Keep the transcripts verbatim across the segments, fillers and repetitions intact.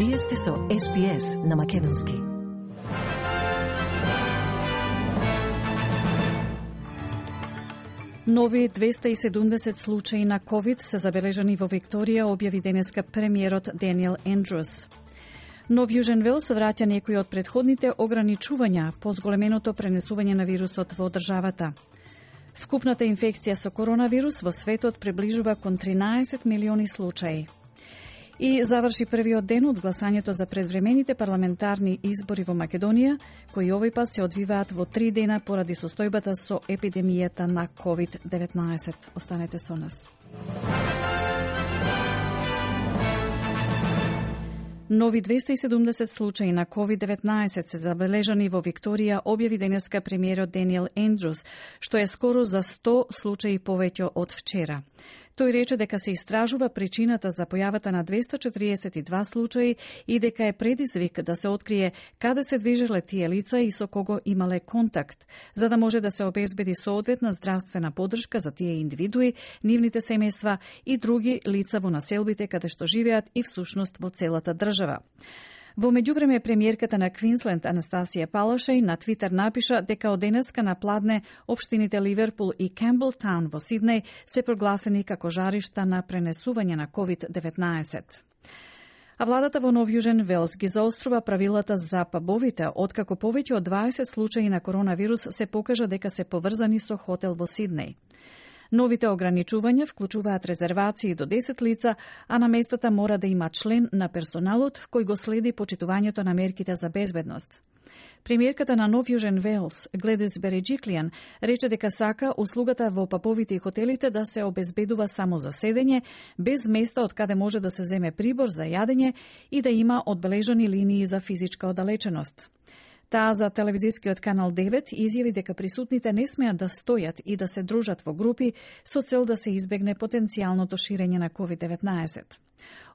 Вие сте со Ес Би Ес на Македонски. Нови двеста и седумдесет случаи на ковид се забележани во Викторија, објави денеска премиерот Даниел Ендрюс. Но Јужен Велс враќа некои од предходните ограничувања по зголеменото пренесување на вирусот во државата. Вкупната инфекција со коронавирус во светот приближува кон тринаесет милиони случаи. И заврши првиот ден од гласањето за предвремените парламентарни избори во Македонија, кои овој пат се одвиваат во три дена поради состојбата со епидемијата на ковид деветнаесет. Останете со нас. Нови двеста и седумдесет случаи на ковид деветнаесет се забележани во Викторија, објави денеска премиерот Даниел Ендрюс, што е скоро за сто случаи повеќе од вчера. Тој рече дека се истражува причината за појавата на двеста четириесет и два случаи и дека е предизвик да се открие каде се движеле тие лица и со кого имале контакт, за да може да се обезбеди соодветна здравствена поддршка за тие индивидуи, нивните семејства и други лица во населбите каде што живеат и всушност во целата држава. Во меѓувреме, премиерката на Квинсленд Анастасија Палашеј на Твитер напиша дека од денеска на пладне општините Ливерпул и Кемблтаун во Сиднеј се прогласени како жаришта на пренесување на ковид деветнаесет. А владата во Нов Јужен Велс ги заострува правилата за пабовите, откако повеќе од дваесет случаи на коронавирус се покажа дека се поврзани со хотел во Сиднеј. Новите ограничувања вклучуваат резервации до десет лица, а на местата мора да има член на персоналот кој го следи почитувањето на мерките за безбедност. Премиерката на Нов Јужен Велс, Гледис Береджиклијан, рече дека сака услугата во пабовите и хотелите да се обезбедува само за седење, без места од каде може да се земе прибор за јадење и да има одбележани линии за физичка оддалеченост. Таа за телевизискиот канал девет изјави дека присутните не смеат да стојат и да се дружат во групи со цел да се избегне потенцијалното ширење на ковид деветнаесет.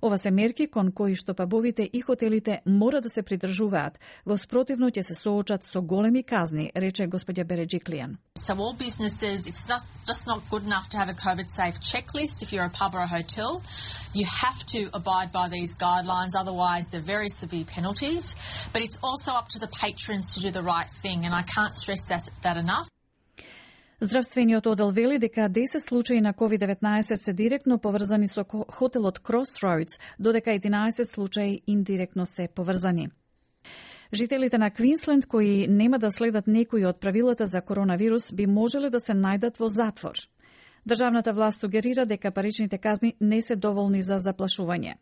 Ова се мерки кон кои што пабовите и хотелите мора да се придржуваат, во спротивно ќе се соочат со големи казни, рече господја Береджиклијан. So all businesses, it's not, just not good enough to have a COVID-safe checklist if you're a pub or a hotel. You have to abide by these guidelines, otherwise they're very severe penalties. But it's also up to the patrons to do the right thing, and I can't stress that, that enough. Здравствениот одел вели дека десет случаи на ковид деветнаесет се директно поврзани со хотелот Crossroads, додека единаесет случаи индиректно се поврзани. Жителите на Квинсленд кои нема да следат некои од правилата за коронавирус би можеле да се најдат во затвор. Државната власт сугерира дека паричните казни не се доволни за заплашување.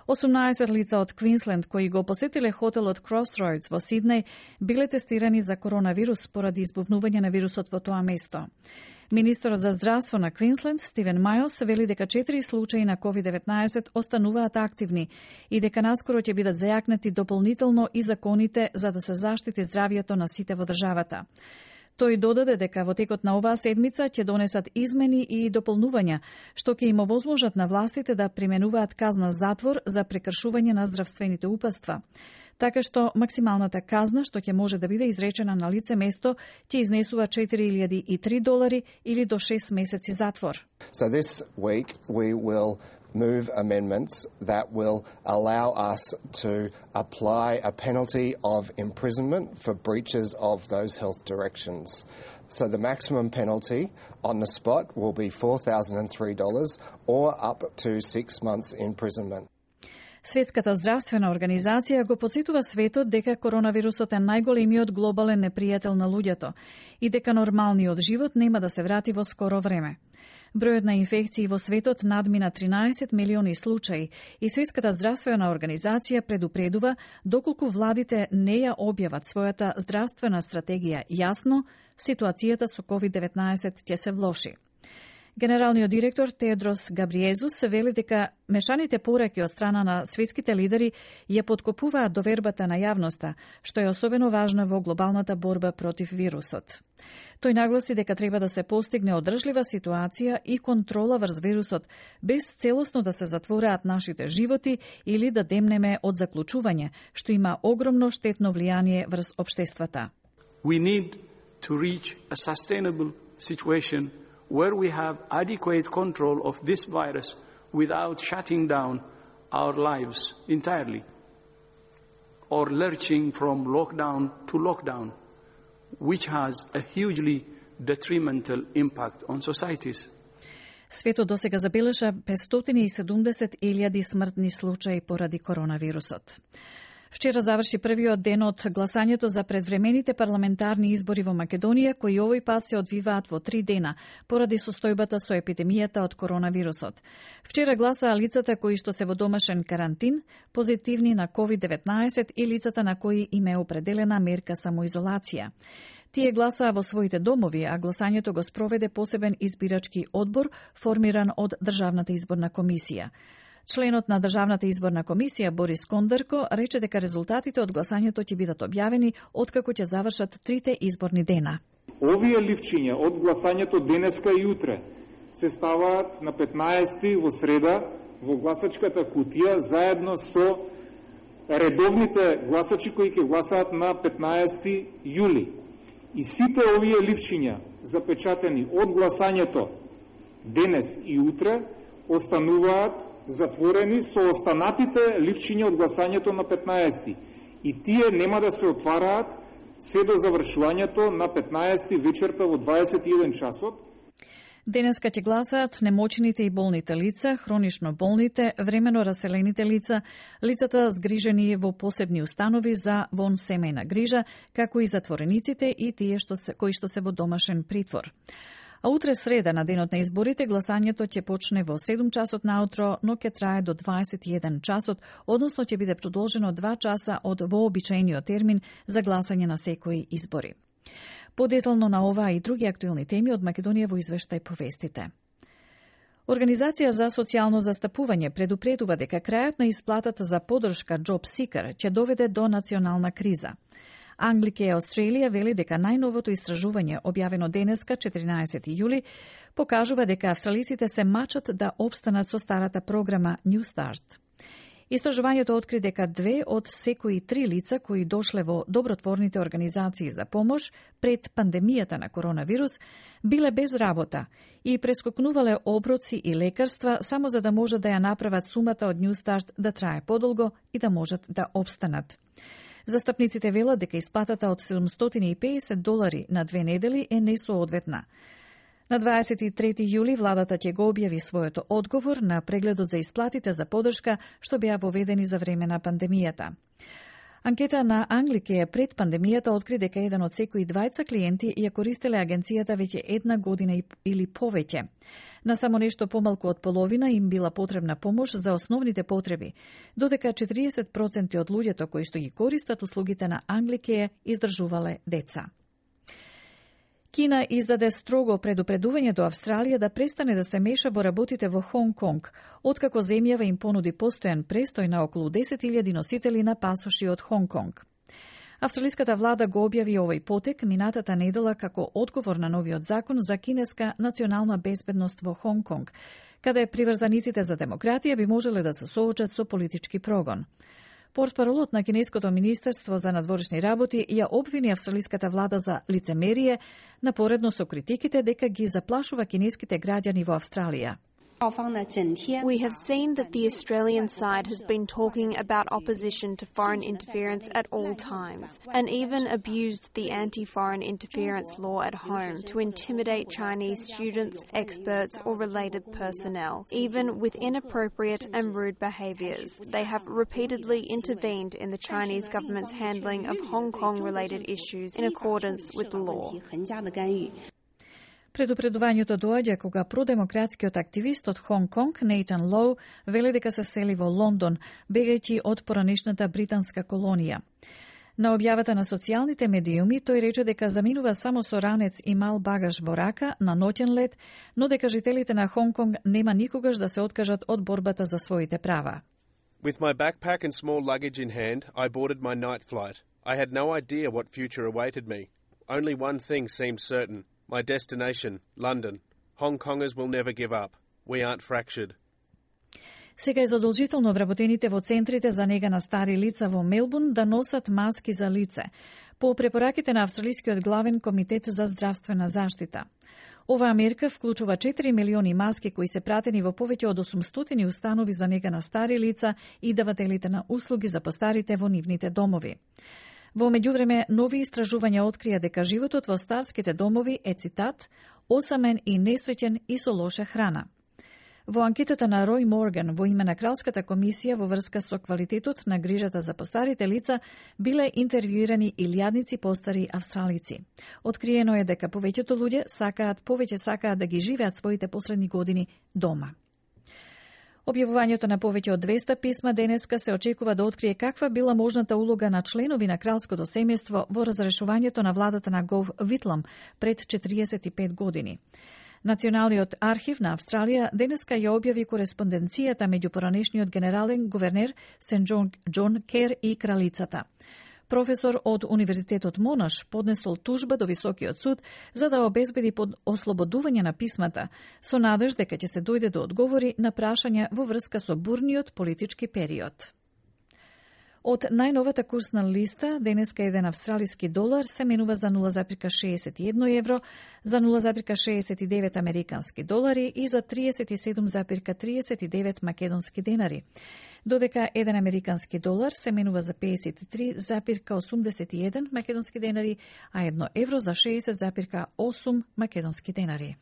осумнаесет лица од Квинсленд кои го посетиле хотелот Crossroads во Сиднеј биле тестирани за коронавирус поради избувнување на вирусот во тоа место. Министерот за здравство на Квинсленд, Стивен Мајлс, вели дека четири случаи на ковид деветнаесет остануваат активни и дека наскоро ќе бидат зајакнати дополнително и законите за да се заштити здравието на сите во државата. Тој додаде дека во текот на оваа седмица ќе донесат измени и дополнувања, што ќе им овозможат на властите да применуваат казна затвор за прекршување на здравствените упатства. Така што максималната казна што ќе може да биде изречена на лице место ќе изнесува четири илјади и три долари или до шест месеци затвор. So this week we will move amendments that will allow us to apply a penalty of imprisonment for breaches of those health directions. So the maximum penalty on the spot will be four thousand three dollars or up to six months imprisonment. Светската здравствена организација го потсетува светот дека коронавирусот е најголемиот глобален непријател на луѓето и дека нормалниот живот нема да се врати во скоро време. Бројот на инфекции во светот надмина тринаесет милиони случаи и Светската здравствена организација предупредува доколку владите не ја објават својата здравствена стратегија јасно, ситуацијата со ковид деветнаесет ќе се влоши. Генералниот директор Тедрос Габриезус вели дека мешаните пораки од страна на светските лидери ја поткопуваат довербата на јавноста, што е особено важно во глобалната борба против вирусот. Тој нагласи дека треба да се постигне одржлива ситуација и контрола врз вирусот, без целосно да се затвораат нашите животи или да демнеме од заклучување, што има огромно штетно влијание врз општествата. We need to reach a sustainable situation where we have adequate control of this virus without shutting down our lives entirely. or lurching from lockdown to lockdown, which has a hugely detrimental impact on societies. Светот досега забележа петстотини и седумдесет илјади смртни случаи поради коронавирусот. Вчера заврши првиот ден од гласањето за предвремените парламентарни избори во Македонија, кои овој пат се одвиваат во три дена, поради состојбата со епидемијата од коронавирусот. Вчера гласаа лицата кои што се во домашен карантин, позитивни на ковид деветнаесет и лицата на кои им е определена мерка самоизолација. Тие гласаа во своите домови, а гласањето го спроведе посебен избирачки одбор, формиран од Државната изборна комисија. Членот на Државната изборна комисија Борис Кондерко рече дека резултатите од гласањето ќе бидат објавени откако ќе завршат трите изборни дена. Овие ливчиња од гласањето денеска и утре се ставаат на петнаесети во среда во гласачката кутија заедно со редовните гласачи кои ќе гласаат на петнаесети јули. И сите овие ливчиња запечатени од гласањето денес и утре остануваат затворени со останатите ливчиња од гласањето на петнаесети. И тие нема да се отвараат се до завршувањето на петнаесети вечерта во дваесет и еден часот. Денеска ќе гласаат немоćните и болните лица, хронично болните, времено раселените лица, лицата згрижени во посебни установи за вон семејна грижа, како и затворениците и тие што се, кои што се во домашен притвор. А утре среда, на денот на изборите, гласањето ќе почне во седум часот наутро, но ќе трае до дваесет и еден часот, односно ќе биде продолжено два часа од вообичаениот термин за гласање на секои избори. Подетално на ова и други актуелни теми од Македонија во извештај повестите. Организација за социјално застапување предупредува дека крајот на исплатата за поддршка Job Seeker ќе доведе до национална криза. Anglicare Australia вели дека најновото истражување, објавено денеска, четиринаесети јули, покажува дека австралиците се мачат да обстанат со старата програма New Start. Истражувањето откри дека две од секои три лица кои дошле во добротворните организации за помош пред пандемијата на коронавирус биле без работа и прескокнувале оброци и лекарства само за да можат да ја направат сумата од New Start да трае подолго и да можат да обстанат. Застапниците велат дека исплатата од седумстотини и педесет долари на две недели е несоодветна. На дваесет и трети јули владата ќе го објави својот одговор на прегледот за исплатите за поддршка што беа воведени за време на пандемијата. Анкета на Anglicare пред пандемијата откри дека еден од секои двајца клиенти ја користеле агенцијата веќе една година или повеќе. На само нешто помалку од половина им била потребна помош за основните потреби, додека четириесет проценти од луѓето кои што ги користат услугите на Anglicare издржувале деца. Кина издаде строго предупредување до Австралија да престане да се меша во работите во Хонг Конг, откако земјава им понуди постојан престој на околу десет илјади носители на пасоши од Хонг Конг. Австралиската влада го објави овој потек минатата недела како одговор на новиот закон за кинеска национална безбедност во Хонг Конг, каде приврзаниците за демократија би можеле да се соочат со политички прогон. Портпаролот на Кинеското министерство за надворешни работи ја обвини австралиската влада за лицемерие, напоредно со критиките дека ги заплашува кинеските граѓани во Австралија. We have seen that the Australian side has been talking about opposition to foreign interference at all times, and even abused the anti-foreign interference law at home to intimidate Chinese students, experts, or related personnel, even with inappropriate and rude behaviours. They have repeatedly intervened in the Chinese government's handling of Hong Kong-related issues in accordance with the law. Предупредувањето доаѓа кога продемократскиот активист од Хонг Конг, Нейтан Лоу, вели дека се сели во Лондон, бегајќи од поранешната британска колонија. На објавата на социјалните медиуми, тој рече дека заминува само со ранец и мал багаж во рака на ноќен лет, но дека жителите на Хонг Конг нема никогаш да се откажат од борбата за своите права. With my backpack and small luggage in hand, I boarded my night flight. I had no idea what future awaited me. Only one thing seemed certain. My destination, London. Hong Kongers will never give up. We aren't fractured. Сега е задолжително вработените во центрите за нега на стари лица во Мелбурн да носат маски за лице, по препораките на Австралискиот главен комитет за здравствена заштита. Оваа мерка вклучува четири милиони маски кои се пратени во повеќе од осумстотини установи за нега на стари лица и давателите на услуги за постарите во нивните домови. Во меѓувреме, нови истражувања открија дека животот во старските домови е, цитат, осамен и несреќен и со лоша храна. Во анкетата на Рој Морган во име на Кралската комисија во врска со квалитетот на грижата за постарите лица биле интервјуирани илјадници постари австралици. Откриено е дека повеќето луѓе сакаат повеќе сакаат да ги живеат своите последни години дома. Објавувањето на повеќе од двеста писма денеска се очекува да открие каква била можната улога на членови на кралското семејство во разрешувањето на владата на Гов Витлам пред четириесет и пет години. Националниот архив на Австралија денеска ја објави кореспонденцијата меѓу поранешниот генерален гувернер Сен Џон, Џон Кер и кралицата. Професор од Универзитетот Монаш поднесол тужба до Високиот суд за да обезбеди под ослободување на писмата, со надеж дека ќе се дојде до одговори на прашања во врска со бурниот политички период. Од најновата курсна листа, денеска еден австралиски долар се менува за нула зарез шеесет и едно евро, за нула зарез шеесет и девет американски долари и за триесет и седум зарез триесет и девет македонски денари. Додека еден американски долар се менува за педесет и три зарез осумдесет и еден македонски денари, а едно евро за шеесет зарез осум македонски денари.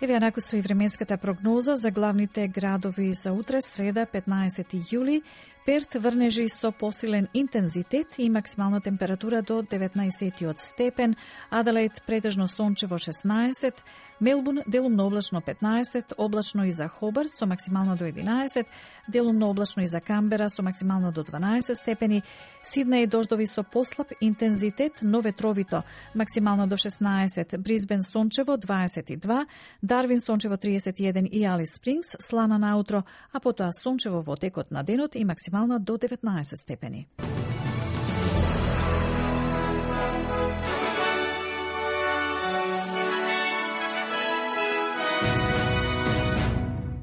Еве накусто и временската прогноза за главните градови за утре, среда, петнаесети јули. Перт врнежи со посилен интензитет и максимална температура до деветнаесет степен, Аделаид претежно сончево шеснаесет, Мелбурн делумно облачно петнаесет, облачно и за Хобарт со максимално до единаесет, делумно облачно и за Камбера со максимално до дванаесет степени, Сиднеј дождови со послаб интензитет, но ветровито, максимално до шеснаесет, Брисбен сончево дваесет и два, Дарвин сончево триесет и еден и Алис Спрингс слана наутро, а потоа сончево во текот на денот и максимално до деветнаесет степени.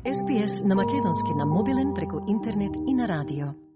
Ес Би Ес на македонски на мобилен преку интернет и на радио.